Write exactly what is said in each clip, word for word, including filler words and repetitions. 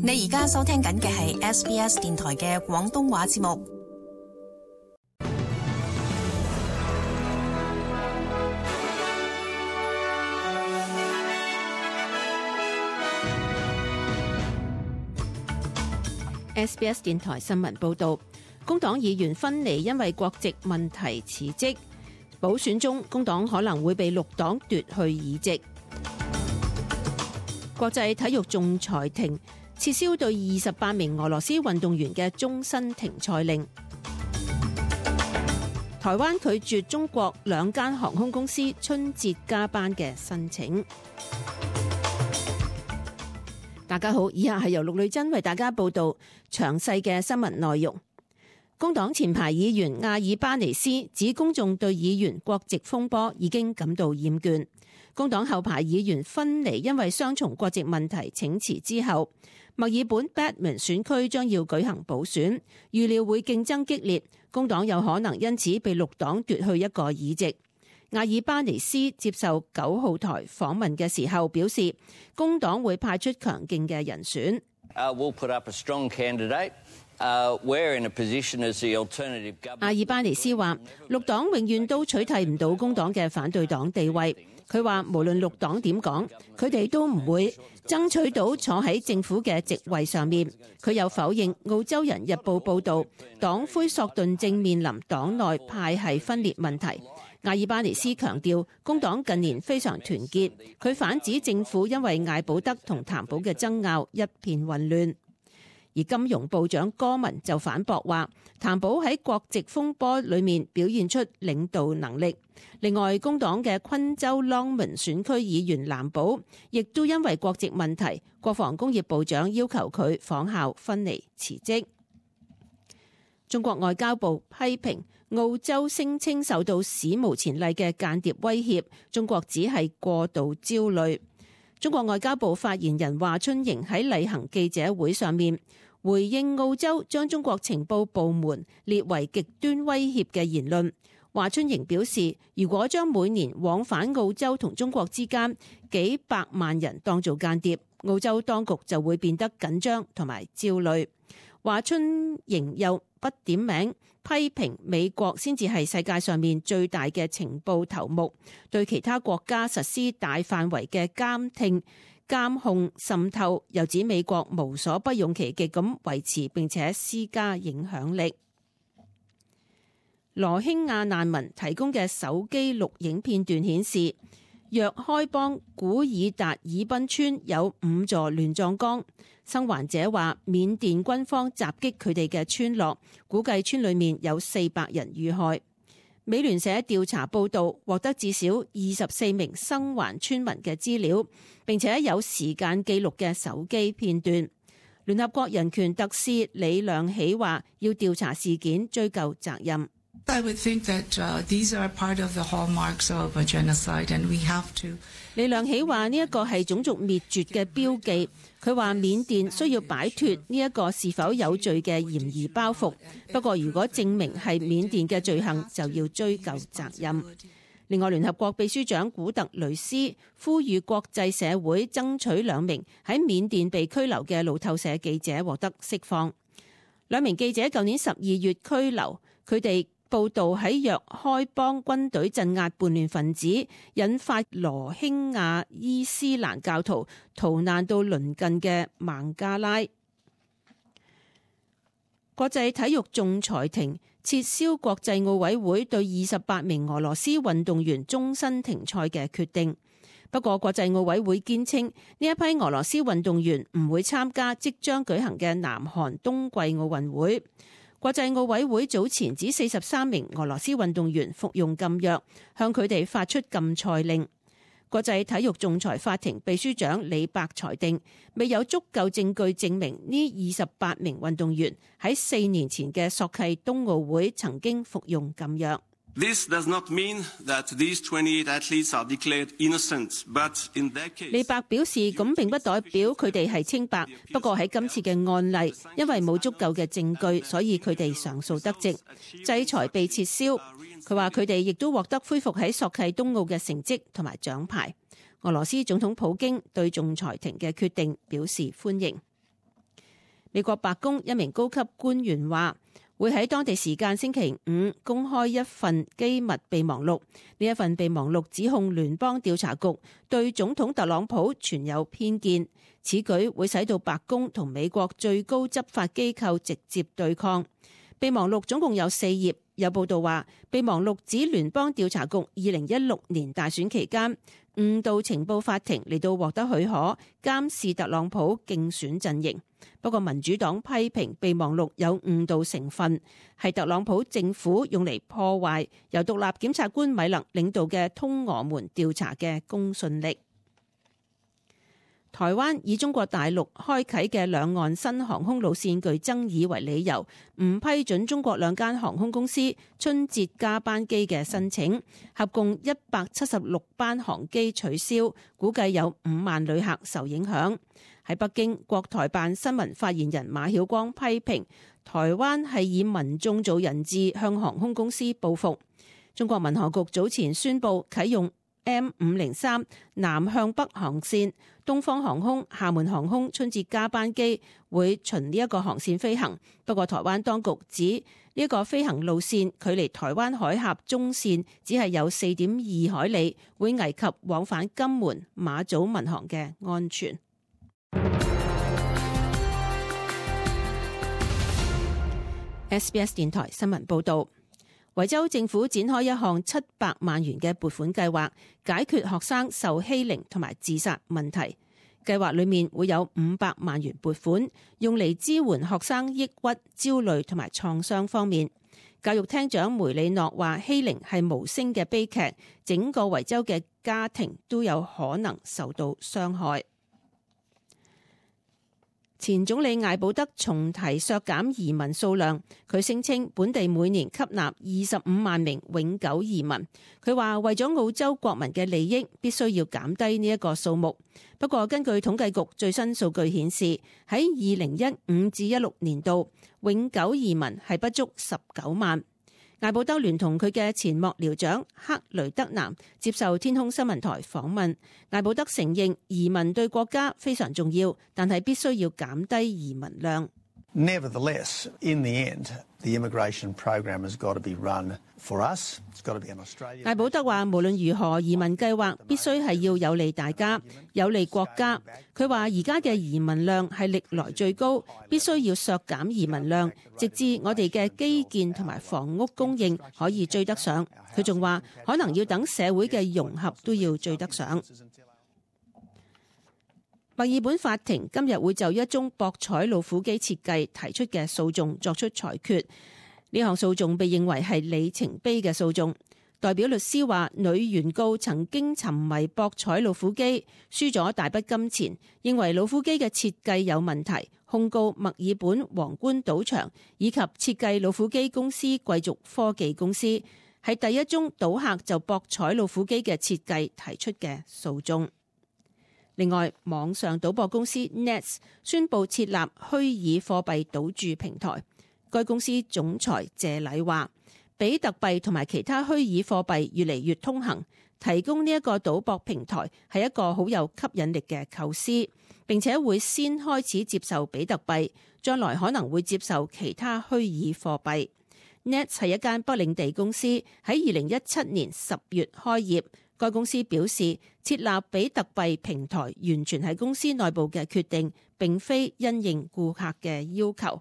你而家收聽緊嘅係 S B S 電台嘅廣東話節目。S B S 電台新聞報道，工黨議員芬尼因為國籍問題辭職，補選中工黨可能會被綠黨奪去議席。國際體育仲裁庭撤銷對二十八名俄羅斯運動員嘅終身停賽令。台灣拒絕中國兩間航空公司春節加班嘅申請。大家好，以下係由陸女珍為大家報道詳細嘅新聞內容。工黨前排議員阿爾巴尼斯指公眾對議員國籍風波已經感到厭倦。工黨後排議員芬尼因為雙重國籍問題請辭之後，墨爾本 Batman 選區將要舉行補選，預料會競爭激烈，工黨有可能因此被綠黨奪去一個議席。阿爾巴尼斯接受九號台訪問嘅時候表示，工黨會派出強勁嘅人選。Uh, we'll put up a strong candidate. Uh, we're in a position as the alternative government. 阿爾巴尼斯話，綠黨永遠都取替唔到工黨嘅反對黨地位。佢話無論綠黨點講，佢哋都唔會爭取到坐喺政府嘅席位上面。佢又否認澳洲人日報報導，黨魁索頓正面臨黨內派系分裂問題。阿爾巴尼斯強調，工黨近年非常團結。佢反指政府因為艾保德同譚寶嘅爭拗一片混亂。而金融部長戈文就反駁話，譚寶喺國籍風波裏面表現出領導能力。另外，工黨嘅昆州朗門選區議員藍寶亦都因為國籍問題，國防工業部長要求佢仿效芬尼辭職。中國外交部批評澳洲聲稱受到史無前例嘅間諜威脅，中國只係過度焦慮。中國外交部發言人華春瑩喺例行記者會上面回應澳洲將中國情報部門列為極端威脅嘅言論。華春瑩表示，如果將每年往返澳洲同中國之間幾百萬人當做間諜，澳洲當局就會變得緊張同埋焦慮。華春瑩又不點名批評美國先至係世界上面最大嘅情報頭目，對其他國家實施大範圍嘅監聽、監控、滲透，又指美國無所不用其極咁維持並且施加影響力。羅興亞難民提供嘅手機錄影片段顯示，若開邦古爾達爾濱村有五座亂葬崗。生還者話，緬甸軍方襲擊佢哋嘅村落，估計村裏面有四百人遇害。美聯社調查報道獲得至少二十四名生還村民嘅資料，並且有時間記錄嘅手機片段。聯合國人權特使李亮喜話，要調查事件，追究責任。I would think that, uh, these are part of the hallmarks of a genocide, and we have to. 李亮喜話呢一個係種族滅絕嘅標記。佢話緬甸需要擺脫呢一個是否有罪嘅嫌疑包袱。不過如果證明係緬甸嘅罪行，就要追究責任。另外，聯合國秘書長古特雷斯呼籲國際社會爭取兩名喺緬甸被拘留嘅路透社記者獲得釋放。兩名記者舊年十二月拘留，佢哋報道喺若開邦軍隊鎮壓叛亂分子，引發羅興亞伊斯蘭教徒逃難到鄰近嘅孟加拉。國際體育仲裁庭撤銷國際奧委會對二十八名俄羅斯運動員終身停賽嘅決定。不過，國際奧委會堅稱呢一批俄羅斯運動員唔會參加即將舉行嘅南韓冬季奧運會。國際奧委會早前指四十三名俄羅斯運動員服用禁藥，向佢哋發出禁賽令。國際體育仲裁法庭秘書長李伯裁定，未有足夠證據證明呢二十八名運動員喺四年前嘅索契冬奧會曾經服用禁藥。This does not mean that these twenty-eight athletes are declared innocent, but in their case. 李伯表示，咁並不代表佢哋係清白。不過喺今次嘅案例，因為冇足夠嘅證據，所以佢哋上訴得直，制裁被撤銷。佢話佢哋亦都獲得恢復喺索契冬奧嘅成績同埋獎牌。俄羅斯總統普京對仲裁庭嘅決定表示歡迎。美國白宮一名高級官員話，會喺當地時間星期五公開一份機密備忘錄。呢一份備忘錄指控聯邦調查局對總統特朗普存有偏見，此舉會使到白宮同美國最高執法機構直接對抗。備忘錄總共有四頁，有報道話，備忘錄指聯邦調查局二零一六年大選期間誤導情報法庭嚟到獲得許可監視特朗普競選陣營。不過民主黨批評備忘錄有誤導成分，係特朗普政府用嚟破壞由獨立檢察官米勒領導嘅通俄門調查嘅公信力。台灣以中國大陸開啟嘅兩岸新航空路線具爭議為理由，唔批准中國兩間航空公司春節加班機嘅申請，合共一百七十六班航機取消，估計有五萬旅客受影響。喺北京，國台辦新聞發言人馬曉光批評台灣係以民眾做人質，向航空公司報復。中國民航局早前宣布啟用 M 五零三南向北航線，東方航空、廈門航空春節加班機會循呢一個航線飛行。不過台灣當局指呢一個飛行路線距離台灣海峽中線只係有四點二海里，會危及往返金門、馬祖民航嘅安全。S B S 電台新聞報道，維州政府展開一項七百萬元嘅撥款計劃，解決學生受欺凌同埋自殺問題。計劃裏面會有五百萬元撥款，用嚟支援學生抑鬱、焦慮同埋創傷方面。教育廳長梅里諾話，欺凌係無聲嘅悲劇，整個維州嘅家庭都有可能受到傷害。前總理艾保德重提削減移民數量，佢聲稱本地每年吸納二十五萬名永久移民。佢話為咗澳洲國民嘅利益，必須要減低呢一個數目。不過根據統計局最新數據顯示，喺二零一五至一六年度，永久移民係不足十九萬。艾保德聯同佢嘅前幕僚長克雷德南接受天空新聞台訪問，艾保德承認移民對國家非常重要，但係必須要減低移民量。Nevertheless, in the end, the immigration program has got to be run for us. It's got to be an Australian. 艾保德話，無論如何，移民計劃必須係要有利大家，有利國家。佢話而家嘅移民量係歷來最高，必須要削減移民量，直至我哋嘅基建同埋房屋供應可以追得上。佢仲話，可能要等社會嘅融合都要追得上。墨爾本法庭今日會就一宗博彩老虎機設計提出嘅訴訟作出裁決。呢項訴訟被認為係里程碑嘅訴訟。代表律師話，女原告曾經沉迷博彩老虎機，輸咗大筆金錢，認為老虎機嘅設計有問題，控告墨爾本皇冠賭場以及設計老虎機公司貴族科技公司，係第一宗賭客就博彩老虎機嘅設計提出嘅訴訟。另外，網上賭博公司 Nets 宣布設立虛擬貨幣賭注平台。該公司總裁謝禮話，比特幣同埋其他虛擬貨幣越嚟越通行，提供呢一個賭博平台係一個好有吸引力嘅構思，並且會先開始接受比特幣，將來可能會接受其他虛擬貨幣。Nets 係一間北領地公司，喺二零一七年十月開業。該公司表示，設立比特幣平台完全係公司內部嘅決定，並非因應顧客嘅要求。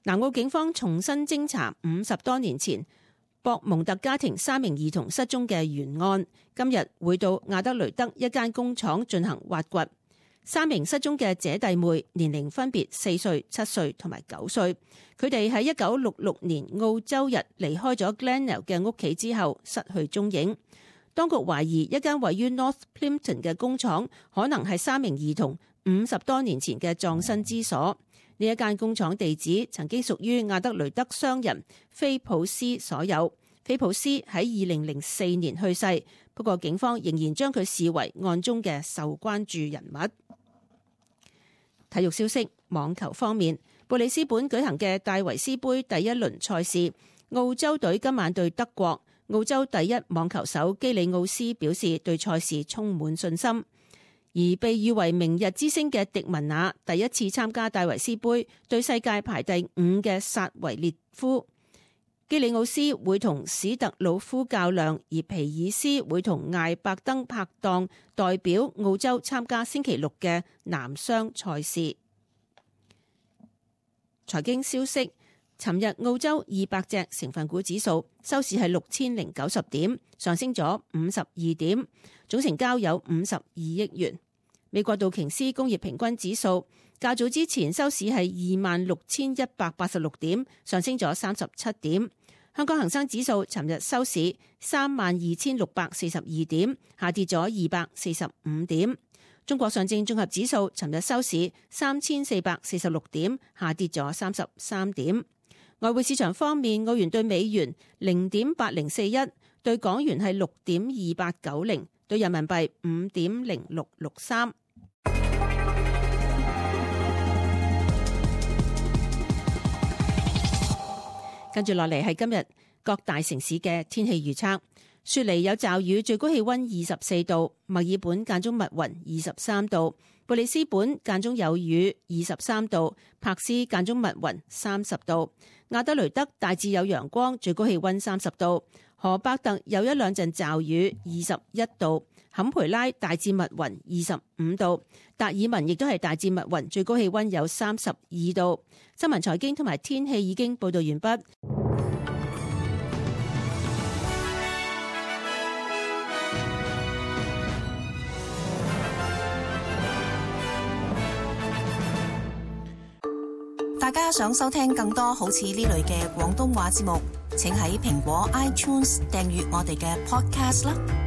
南澳警方重新偵查五十多年前博蒙特家庭三名兒童失蹤嘅懸案，今日會到亞德雷德一間工廠進行挖掘。三名失蹤嘅姐弟妹年齡分別四歲、七歲同埋九歲，佢哋喺一九六六年澳洲日離開咗 Glenelg 嘅屋企之後失去蹤影。當局懷疑一間位於 North Plympton 嘅工廠可能係三名兒童五十多年前嘅葬身之所。呢一間工廠地址曾經屬於亞德雷德商人菲普斯所有。菲普斯喺二零零四年去世，不過警方仍然將佢視為案中嘅受關注人物。體育消息，網球方面，布里斯本舉行嘅戴維斯杯第一輪賽事，澳洲隊今晚對德國。澳洲第一網球手基里奧斯表示對賽事充滿信心。而被譽為明日之星嘅迪文娜第一次參加戴維斯杯，對世界排第五嘅薩維列夫。基里奧斯會同史特魯夫較量，而皮爾斯會同艾伯登拍檔，代表澳洲參加星期六嘅男雙賽事。財經消息，尋日澳洲二百隻成分股指數收市係六千零九十點，上升咗五十二點，總成交有五十二億元。美國道瓊斯工業平均指數較早之前收市係二萬六千一百八十六點，上升咗三十七點。香港恒生指數尋日收市三萬二千六百四十二點，下跌咗二百四十五點。中國上證綜合指數尋日收市三千四百四十六點，下跌咗三十三點。外匯市場方面，澳元對美元零點八零四一，對港元係六點二八九零，對人民幣五點零六六三。跟住落嚟係今日各大城市嘅天氣預測。雪梨有驟雨，最高氣溫二十四度；墨爾本間中密雲，二十三度；布里斯本間中有雨，二十三度；柏斯間中密雲，三十度；亞德雷德大致有陽光，最高氣溫三十度；荷伯特有一兩陣驟雨，二十一度；坎培拉大致密雲，二十五度；達爾文亦都係大致密雲，最高氣溫有三十二度。新聞財經同埋天氣已經報道完畢。大家想收聽更多好似呢類嘅廣東話節目，請喺蘋果 iTunes 訂閱我哋嘅 podcast 啦。